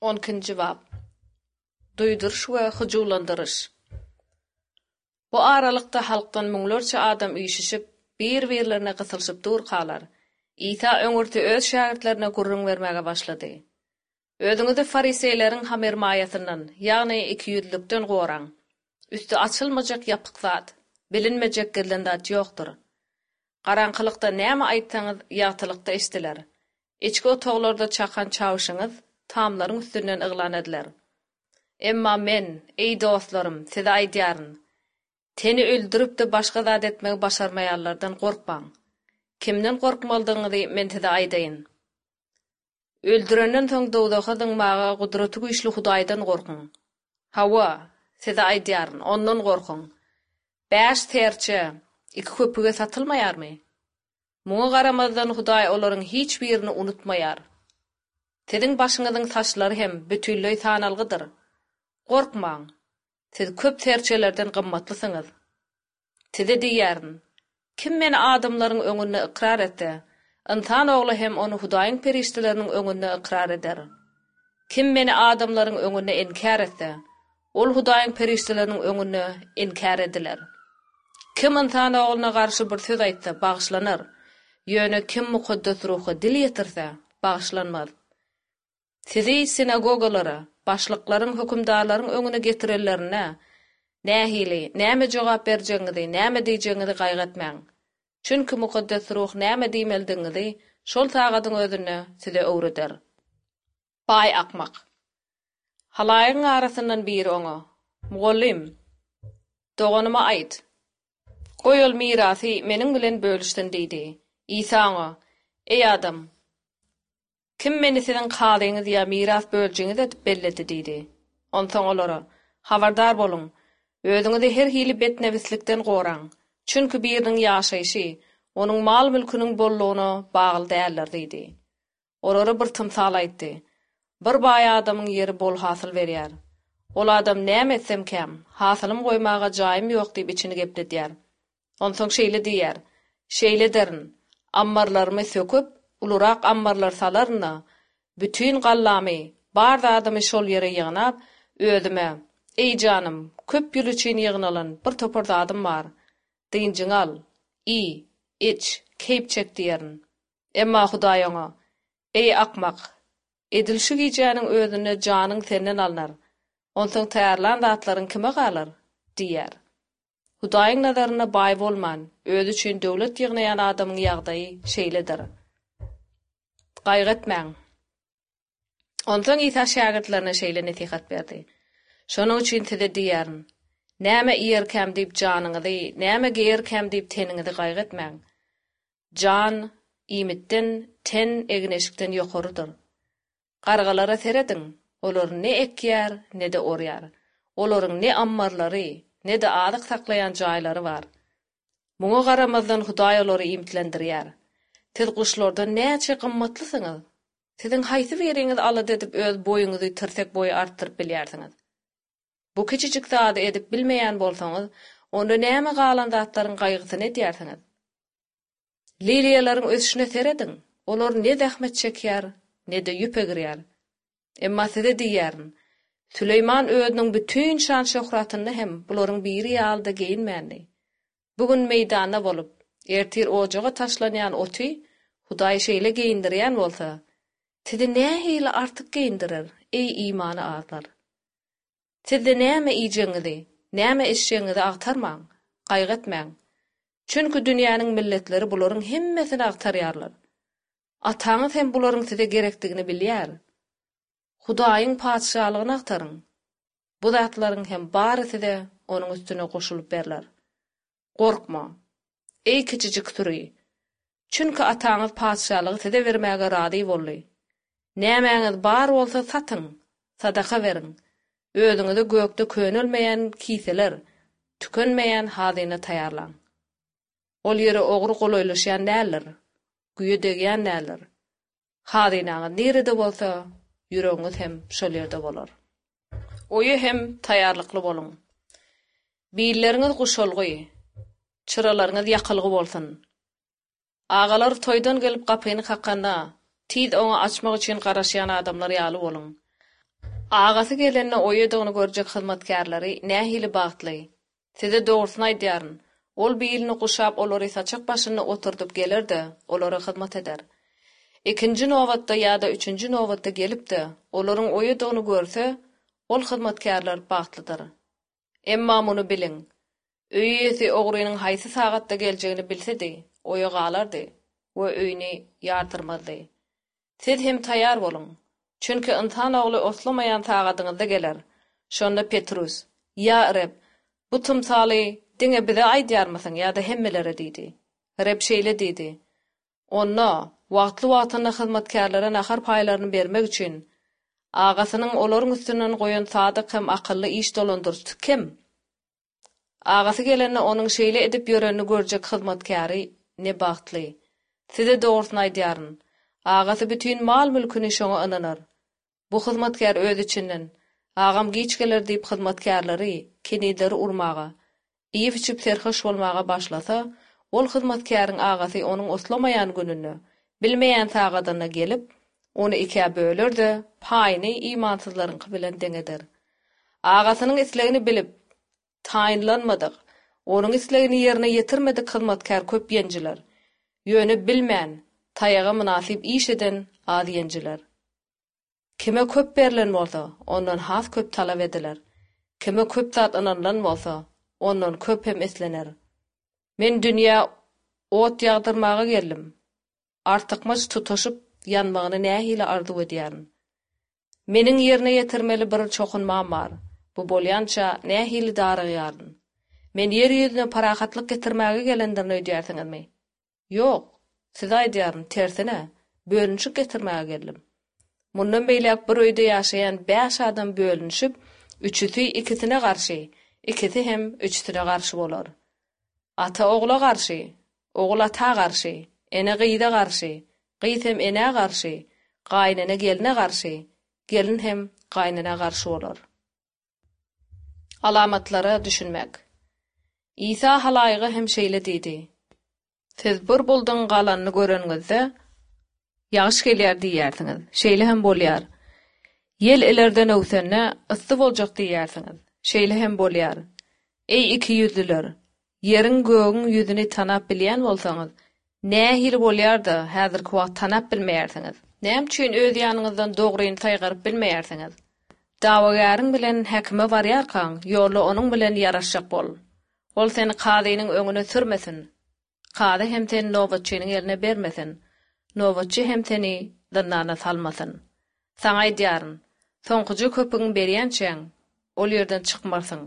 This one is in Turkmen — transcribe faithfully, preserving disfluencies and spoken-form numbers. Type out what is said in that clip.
On ikinji bap. Duýduryş we hyjuwlandyryş. Bu aralykda halkdan müňlerçe adam üýşüşip, bir-birlerine gysylyşyp durkalar, Isa öňürti öz şägirtlerine gürrüň bermäge başlady. Özüňizi fariseýleriň hamyrmaýasyndan, ýagny ikiýüzlükden goraň. Üsti açylmajak ýapyk zat, bilinmejek gizlin zat ýokdur. Garaňkylykda näme aýtsaňyz, ýagtylykda eşidiler. Içki otaglarda çakan çawuşyňyz tamlaryň üstünden yglan ediler. Emma men, eý dostlarym, size aýdýaryn, teni öldürip-de başga zat etmegi başarmaýanlardan gorkmaň. Kimden gorkmalydygyňyzy men size aýdaýyn. Öldürenden soň dowzaha zyňmaga gudraty güýçli Hudaýdan gorkuň. Hawa, size aýdýaryn, ondan gorkuň. Bäş serçe iki köpüge satylmaýarmy? Muňa garamazdan Hudaý olaryň hiç birini unutmaýar. Siziň başyňyzyň saçlary hem bütinleý sanalgydyr. Gorkmaň, siz köp serçelerden gymmatlysyňyz. Size diýýärin, kim meni adamlaryň öňünde ykrar etse, Ynsan Ogly hem ony Hudaýyň perişdeleriniň öňünde ykrar eder. Kim meni adamlaryň öňünde inkär etse, ol Hudaýyň perişdeleriniň öňünde inkär ediler. Kim Ynsan Ogluna garşy bir söz aýtsa, bagyşlanar, ýöne kim Mukaddes Ruha dil ýetirse, bagyşlanmaz. Sizi sinagogalara, başlyklaryň, hökümdarlaryň öňüne getirenlerinde, nähili, näme jogap berjegiňizi, näme diýjegiňizi gaýgy etmäň. Çünki Mukaddes Ruh näme diýmelidigiňizi şol sagadyň özünde size öwreder. Baý akmak. Halaýygyň arasyndan biri oňa, Mugallym, doganyma aýt, goý ol mirasy meniň bilen bölüşsin diýdi. Isa oňa, Eý adam, kim meni siziň kazyňyz ýa miras bölüjiňiz edip belledi diýdi. Onsoň olara, Habardar boluň, özüňizi her hili betnebislikden goraň, çünki biriniň ýaşaýşy onuň mal-mülküniň bollugyna bagly däldir diýdi. Olara bir tymsal aýtdy. Bir baý adamyň ýeri bol hasyl berýär. Ol adam näme etsemkäm, hasylym goýmaga jaýym ýok diýip içini gepledýär. Onsoň şeýle diýýär, Şeýle ederin, ammarlarymy söküp, ulurak ammarlar salaryn-da, bütin gallamy, bar zadymy şol ýere ýygnap, özüme, Eý janym, köp ýyl üçin ýygnalan bir topar zadym bar. Dynjyňy al, iý, iç, keýp çek diýerin. Emma Hudaý oňa, Eý, akmak! Edil şu gijäniň özünde janyň senden alnar. Onsoň taýýarlan zatlaryň kime galar? diýýär. Hudaýyň nazarynda baý bolman, özi üçin döwlet ýygnaýan adamyň ýagdaýy şeýledir. Gaýgy etmäň! Onsoň Isa şägirtlerine şeýle nesihat berdi, Şonuň üçin size diýýärin, näme iýerkäm diýip janyňyzy, näme geýerkäm diýip teniňizi gaýgy etmäň. Jan, iýmitden, ten, egin-eşikden ýokarydyr. Gargalara serediň, olar ne ekýär, ne-de orýar. Olaryň ne ammarlary, ne-de azyk saklaýan jaýlary bar. Muňa garamazdan Hudaý olary iýmitlendirýär. Siz guşlardan näçe gymmatlysyňyz? Siziň haýsy biriňiz alada edip öz boýuňyzy tirsek boýy artdyryp bilýärsiňiz? Bu kiçijik zady edip bilmeýän bolsaňyz, onda näme galan zatlaryň gaýgysyny edýärsiňiz? Liliýalaryň ösüşine serediň, olar ne zähmet çekýär, ne-de ýüp egirýär. Emma size diýýärin, Süleýman özüniň bütin şan-şöhratynda hem bularyň biri ýaly-da geýinmändi. Bu gün meýdanda bolup, ertir ojaga taşlanýan oty Hudaý şeýle geýindirýän bolsa, sizi nähili artyk geýindirer, eý imany azlar! Siz-de näme iýjegiňizi, näme içjegiňizi agtarmaň, gaýgy etmäň. Çünki dünýäniň milletleri bularyň hemmesini agtarýarlar. Ataňyz hem bularyň size gerekdigini bilýär. Hudaýyň Patyşalygyny agtaryň. Bu zatlaryň hem bary size onuň üstüne goşulyp berler. Gorkma, eý kiçijik süri! Çünki Ataňyz Patyşalygy size bermäge razy boldy. Nämäňiz bar bolsa satyň, sadaka beriň. Özüňize gökde könelmeýän kiseler, tükenmeýän hazyna taýýarlaň. Ol ýere ogry golaýlaşýan däldir, güýe degýän däldir. Hazynaňyz nirede bolsa, ýüregiňiz hem şol ýerde bolar. Oýa hem taýýarlykly boluň. Billeriňiz guşalgy, çyralaryňyz ýakylgy bolsun. Agalar toýdan gelip gapyny kakanda, tiz oňa açmak üçin garaşýan adamlar ýaly boluň. Agasy gelende oýadygyny görjek hyzmatkärleri nähili bagtly! Size dogrusyny aýdýaryn, ol bilini guşap olary saçak başynda oturdyp geler-de, olara hyzmat eder. Ikinji nobatda ýa-da üçünji nobatda gelip-de, olaryň oýadygyny görse, ol hyzmatkärler bagtlydyr. Emma muny biliň, öý eýesi ogrynyň haýsy sagatda geljegini bilsedi, oýa galardy we öýüni ýardyrmazdy. Siz hem taýýar boluň. Çünki Ynsan Ogly oslamaýan sagadyňyzda geler. Şonda Petrus, Ýa Reb, bu tymsaly diňe bize aýdýarmysyň ýa-da hemmelere diýdi. Reb şeýle diýdi, Onda, wagtly-wagtynda hyzmatkärlere nahar paýlaryny bermek üçin, agasynyň olaryň üstünden goýan sadyk hem akylly iş dolandyryjysy kim? Agasy gelende onuň şeýle edip ýörenini görjek hyzmatkäri ne bagtly! Size dogrusyny aýdýaryn, agasy bütin mal-mülküni şoňa ynanar. Bu hyzmatkär öz içinden, Agam giç geler diýip hyzmatkärleri, kenizleri urmaga, iýip-içip serhoş bolmaga başlasa, ol hyzmatkäriň agasy onuň oslamaýan gününde, bilmeýän sagadynda gelip, ony ikä böler-de, paýyny imansyzlaryňky bilen deň eder. Agasynyň islegini bilip, taýynlanmadyk, onuň islegini ýerine ýetirmedik hyzmatkär köp ýenjiler. Ýöne bilmän, taýaga mynasyp iş eden az ýenjiler. Kime köp berlen bolsa, ondan has köp talap ediler. Kime köp zat ynanylan bolsa, ondan köp hem islener. Men dünýä ot ýagdyrmaga geldim. Artykmaç tutaşyp ýanmagyny nähili arzuw edýärin. Meniň ýerine ýetirmeli bir çokunmam bar, bu bolýança nähili darygýaryn. Men ýer ýüzüne parahatlyk getirmäge gelendirin öýdýärsiňizmi? Ýok, size aýdýaryn, tersine, bölünişik getirmäge geldim. Mundan beýläk bir öýde ýaşaýan bäş adam bölünişip, üçüsi ikisine garşy, ikisi hem üçüsine garşy bolar. Ata ogla garşy, ogul ata garşy, ene gyza garşy, gyz hem enä garşy, gaýynene gelne garşy, gelin hem gaýynenä garşy bolar. Alamatlara düşünmek. Isa halaýyga hem şeýle diýdi, Siz bir bulduň galanyny göreniňizde, Ýagyş gelýär diýýärsiňiz. Şeýle hem bolýar. Ýel ilerden öwsende, Yssy boljak diýýärsiňiz. Şeýle hem bolýar. Eý, ikiýüzlüler! Ýeriň, gögüň ýüzüni tanap bilýän bolsaňyz, nähili bolýar-da, häzirki wagt tanap bilmeýärsiňiz? Näme üçin öz ýanyňyzdan dogryny saýgaryp bilmeýärsiňiz? Dawagäriň bilen häkime barýarkaň, ýolda onuň bilen ýaraşjak bol. Ol seni kazynyň öňüne sürmesin. Kazy hem seni nobatçynyň eline bermesin, nobatçy hem seni zyndana salmasyn. Saňa aýdýaryn, soňkuja köpügiňi berýänçäň, ol ýerden çykmarsyň.